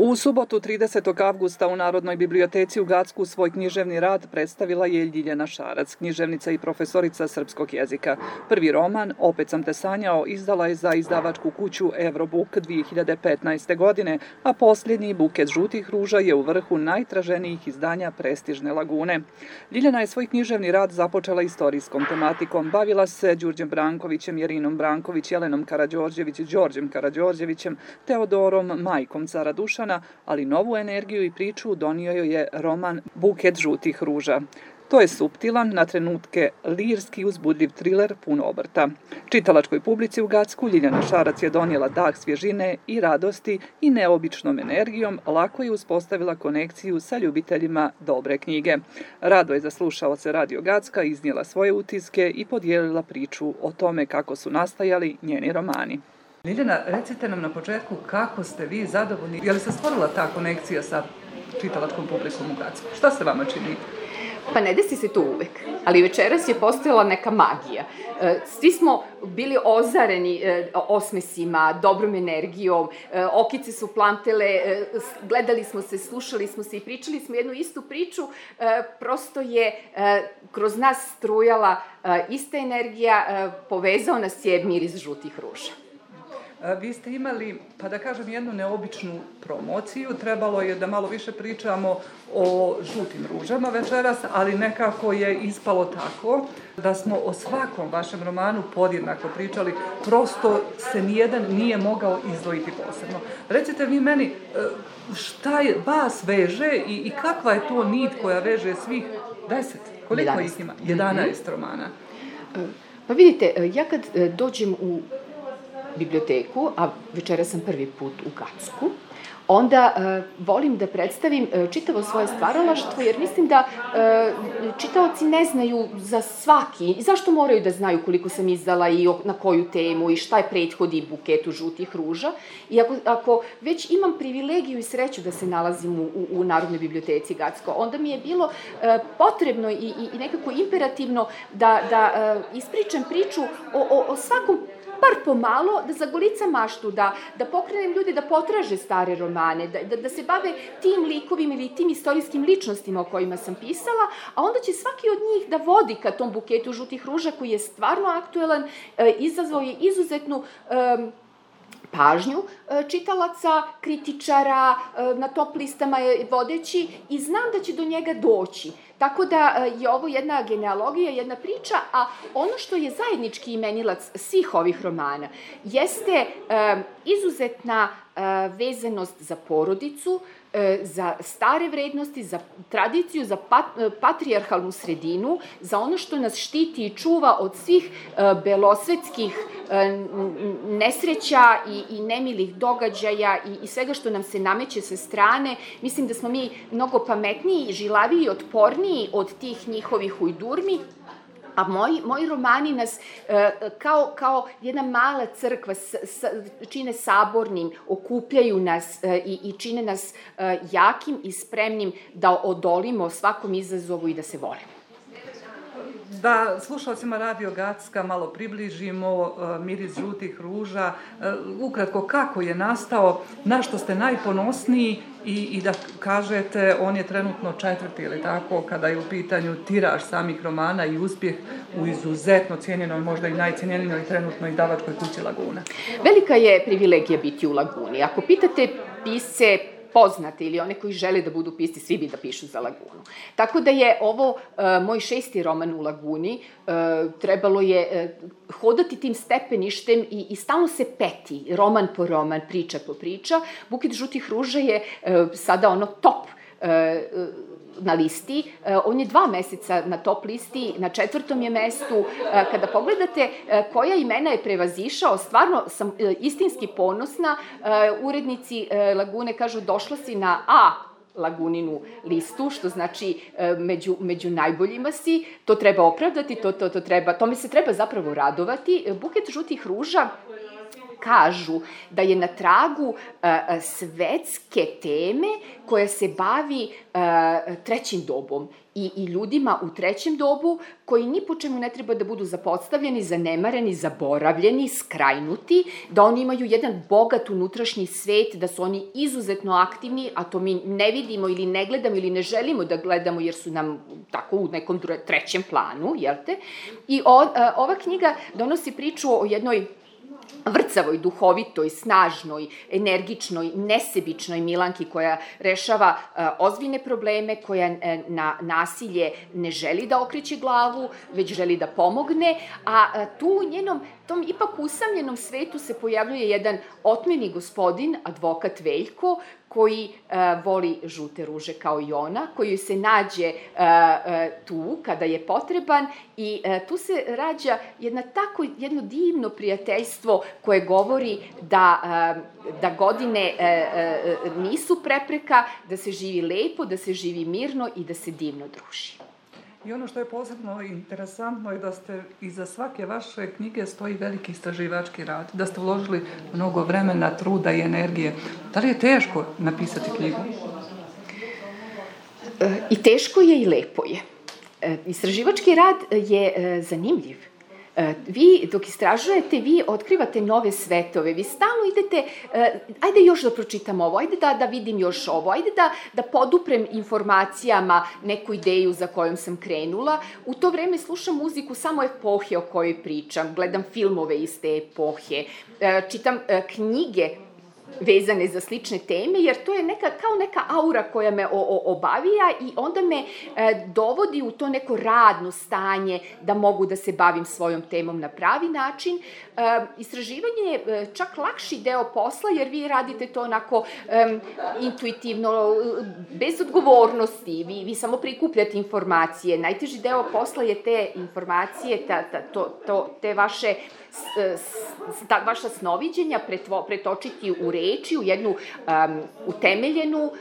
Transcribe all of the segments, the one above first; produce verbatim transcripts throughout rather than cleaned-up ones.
U subotu tridesetog avgusta u Narodnoj biblioteci u Gacku svoj književni rad predstavila je Ljiljana Šarac, književnica i profesorica srpskog jezika. Prvi roman, Opet sam te sanjao, izdala je za izdavačku kuću Eurobook dvije hiljade petnaeste. godine, a posljednji, Buket žutih ruža, je u vrhu najtraženijih izdanja prestižne Lagune. Ljiljana je svoj književni rad započela istorijskom tematikom. Bavila se Đurđem Brankovićem, Jerinom Branković, Jelenom Karađorđević, Đorđem Karađorđevićem, Teodorom, majkom cara Dušana, ali novu energiju i priču donio joj je roman Buket žutih ruža. To je suptilan, na trenutke lirski uzbudljiv triler pun obrta. Čitalačkoj publici u Gacku Ljiljana Šarac je donijela dah svježine i radosti i neobičnom energijom lako je uspostavila konekciju sa ljubiteljima dobre knjige. Rado je za slušaoce Radio Gacka iznijela svoje utiske i podijelila priču o tome kako su nastajali njeni romani. Ljiljana, recite nam na početku kako ste vi zadovoljni, je li se stvorila ta konekcija sa čitalačkom publikom u Gacku? Šta se vama čini? Pa ne desi se to uvek, ali večeras je postojala neka magija. Svi smo bili ozareni osmesima, dobrom energijom, okice su plantele, gledali smo se, slušali smo se i pričali smo jednu istu priču, prosto je kroz nas strujala ista energija, povezao nas je miris žutih ruža. Vi ste imali, pa da kažem, jednu neobičnu promociju. Trebalo je da malo više pričamo o žutim ružama večeras, ali nekako je ispalo tako da smo o svakom vašem romanu podjednako pričali. Prosto se nijedan nije mogao izdvojiti posebno. Recite vi meni, šta je vas veže i, i kakva je to nit koja veže svih deset? Koliko ih ima? jedanaest romana. Pa vidite, ja kad dođem u biblioteku, a večera sam prvi put u Gacku, onda uh, volim da predstavim uh, čitavo svoje stvaralaštvo, jer mislim da uh, čitaoci ne znaju za svaki, i zašto moraju da znaju koliko sam izdala i na koju temu i šta je prethodi Buketu žutih ruža. I ako, ako već imam privilegiju i sreću da se nalazim u, u, u Narodnoj biblioteci Gacko, onda mi je bilo uh, potrebno i, i, i nekako imperativno da, da uh, ispričam priču o, o, o svakom bar pomalo, da zagolicam maštu, da, da pokrenem ljudi da potraže stare romane, da, da, da se bave tim likovima ili tim istorijskim ličnostima o kojima sam pisala, a onda će svaki od njih da vodi ka tom Buketu žutih ruža koji je stvarno aktuelan, e, izazvao je izuzetnu e, pažnju čitalaca, kritičara, na top listama je vodeći i znam da će do njega doći. Tako da je ovo jedna genealogija, jedna priča, a ono što je zajednički imenilac svih ovih romana jeste izuzetna vezanost za porodicu, za stare vrednosti, za tradiciju, za pat, patrijarhalnu sredinu, za ono što nas štiti i čuva od svih belosvetskih nesreća i, i nemilih događaja i, i svega što nam se nameće sa strane. Mislim da smo mi mnogo pametniji, žilaviji i otporniji od tih njihovih ujdurmi. A moji, moji romani nas e, kao, kao jedna mala crkva s, s, čine sabornim, okupljaju nas e, i, i čine nas e, jakim i spremnim da odolimo svakom izazovu i da se volimo. Da slušalcima Radio Gacka malo približimo uh, miris žutih ruža, uh, ukratko kako je nastao, na što ste najponosniji i, i da kažete on je trenutno četvrti ili tako kada je u pitanju tiraž samih romana i uspjeh u izuzetno cijenjenoj, možda i najcijenjenijoj trenutno izdavačkoj kući Laguna. Velika je privilegija biti u Laguni. Ako pitate pisce poznate ili one koji žele da budu pisci, svi bi da pišu za Lagunu. Tako da je ovo uh, moj šesti roman u Laguni, uh, trebalo je uh, hodati tim stepeništem i, i stalno se peti, roman po roman, priča po priča. Buket žutih ruža je uh, sada ono top uh, na listi, on je dva meseca na top listi, na četvrtom je mestu. Kada pogledate koja imena je prevazišao, stvarno sam istinski ponosna. Urednici Lagune kažu došla si na A Laguninu listu, što znači među, među najboljima si. To treba opravdati, to, to, to treba, tome se treba zapravo radovati. Buket žutih ruža kažu da je na tragu svetske teme koja se bavi trećim dobom i, i ljudima u trećem dobu koji ni po čemu ne treba da budu zapostavljeni, zanemareni, zaboravljeni, skrajnuti, da oni imaju jedan bogat unutrašnji svet, da su oni izuzetno aktivni, a to mi ne vidimo ili ne gledamo ili ne želimo da gledamo jer su nam tako u nekom trećem planu, jel te? I o, ova knjiga donosi priču o jednoj vrcavoj, duhovitoj, snažnoj, energičnoj, nesebičnoj Milanki koja rešava uh, ozbiljne probleme, koja uh, na nasilje ne želi da okreće glavu, već želi da pomogne, a uh, tu u njenom tom ipak usamljenom svetu se pojavljuje jedan otmeni gospodin, advokat Veljko, koji uh, voli žute ruže kao i ona, koji se nađe uh, uh, tu kada je potreban i uh, tu se rađa jedna tako, jedno divno prijateljstvo koje govori da, uh, da godine uh, uh, nisu prepreka, da se živi lepo, da se živi mirno i da se divno druži. I ono što je posebno interesantno je da ste iza svake vaše knjige stoji veliki istraživački rad, da ste uložili mnogo vremena, truda i energije. Da li je teško napisati knjigu? I teško je i lepo je. Istraživački rad je zanimljiv. Vi, dok istražujete, vi otkrivate nove svetove, vi stalno idete, ajde još da pročitam ovo, ajde da, da vidim još ovo, ajde da, da poduprem informacijama neku ideju za kojom sam krenula. U to vreme slušam muziku samo epohe o kojoj pričam, gledam filmove iz te epohe, čitam knjige vezane za slične teme, jer to je neka, kao neka aura koja me o, o, obavija i onda me e, dovodi u to neko radno stanje da mogu da se bavim svojom temom na pravi način. E, istraživanje je e, čak lakši deo posla, jer vi radite to onako e, intuitivno, bez odgovornosti, vi, vi samo prikupljate informacije. Najteži deo posla je te informacije, ta, ta, to, to, te vaše ta vaša snoviđenja pretvo, pretočiti u reči, u jednu um, utemeljenu, uh,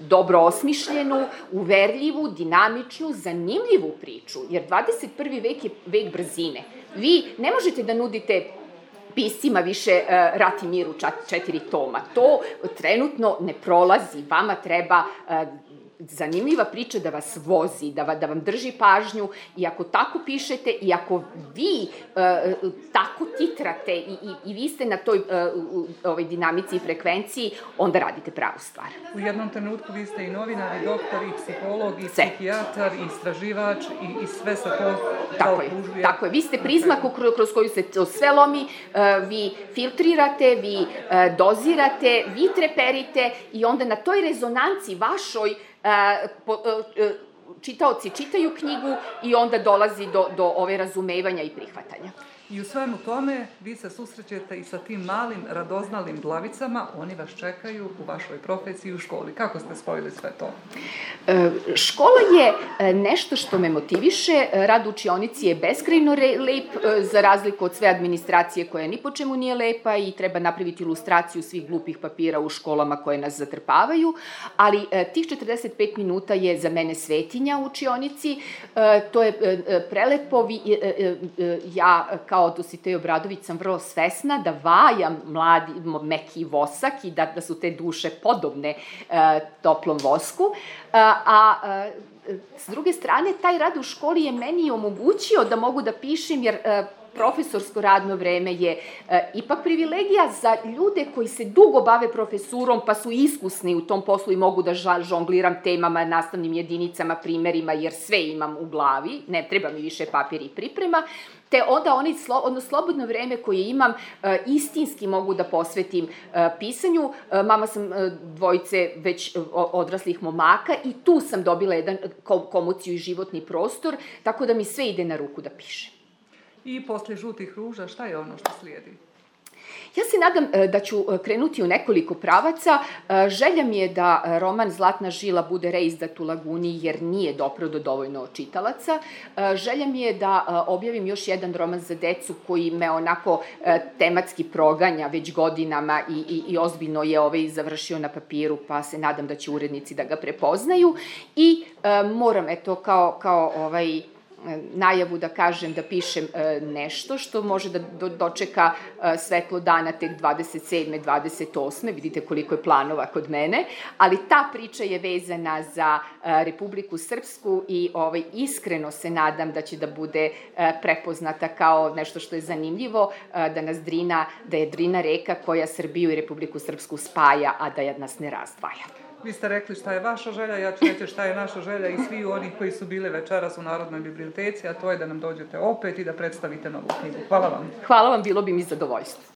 dobro osmišljenu, uverljivu, dinamičnu, zanimljivu priču, jer dvadeset prvi vek je vek brzine. Vi ne možete da nudite piscima više uh, Rat i mir u četiri toma. To trenutno ne prolazi. Vama treba uh, zanimljiva priča da vas vozi, da, va, da vam drži pažnju i ako tako pišete i ako vi uh, tako titrate i, i, i vi ste na toj uh, u, ovoj dinamici i frekvenciji, onda radite pravu stvar. U jednom trenutku vi ste i novinar, i doktor, i psiholog, i sve. Psihijatar, i istraživač, i, i sve se to tako je, tako je. Vi ste prizma kroz, kroz koju se to sve lomi, uh, vi filtrirate, vi uh, dozirate, vi treperite i onda na toj rezonanci vašoj Uh, po, uh, čitaoci čitaju knjigu i onda dolazi do, do ove razumevanja i prihvatanja. I u svemu tome vi se susrećete i sa tim malim radoznalim glavicama, oni vas čekaju u vašoj profesiji u školi. Kako ste spojili sve to? E, škola je nešto što me motiviše, rad u učionici je beskrajno lep, za razliku od sve administracije koja ni po čemu nije lepa i treba napraviti ilustraciju svih glupih papira u školama koje nas zatrpavaju, ali tih četrdeset pet minuta je za mene svetinja u učionici, e, to je prelepo, vi, e, e, ja kao Dositej Obradović sam vrlo svesna da vajam mladi, meki vosak i da, da su te duše podobne e, toplom vosku, e, a e, s druge strane taj rad u školi je meni omogućio da mogu da pišem, jer e, profesorsko radno vreme je e, ipak privilegija za ljude koji se dugo bave profesurom pa su iskusni u tom poslu i mogu da žongliram temama, nastavnim jedinicama, primerima, jer sve imam u glavi, ne treba mi više papir i priprema, te onda oni, ono slobodno vreme koje imam, e, istinski mogu da posvetim e, pisanju. E, mama sam e, dvojice već odraslih momaka i tu sam dobila jedan komociju i životni prostor, tako da mi sve ide na ruku da pišem. I posle žutih ruža, šta je ono što slijedi? Ja se nadam da ću krenuti u nekoliko pravaca. Želja mi je da roman Zlatna žila bude reizdat u Laguni, jer nije doprao do dovoljno čitalaca. Želja mi je da objavim još jedan roman za decu koji me onako tematski proganja već godinama i, i, i ozbiljno je ovaj završio na papiru, pa se nadam da će urednici da ga prepoznaju. I moram, eto, kao, kao ovaj... najavu da kažem da pišem nešto što može da dočeka svetlo dana tek dvadeset sedme, dvadeset osme Vidite koliko je planova kod mene, ali ta priča je vezana za Republiku Srpsku i ovaj, iskreno se nadam da će da bude prepoznata kao nešto što je zanimljivo, da nas Drina, da je Drina reka koja Srbiju i Republiku Srpsku spaja, a da nas ne razdvaja. Vi ste rekli šta je vaša želja, ja ću reći šta je naša želja i svi oni koji su bili večeras u Narodnoj biblioteci, a to je da nam dođete opet i da predstavite novu knjigu. Hvala vam. Hvala vam, bilo bi mi zadovoljstvo.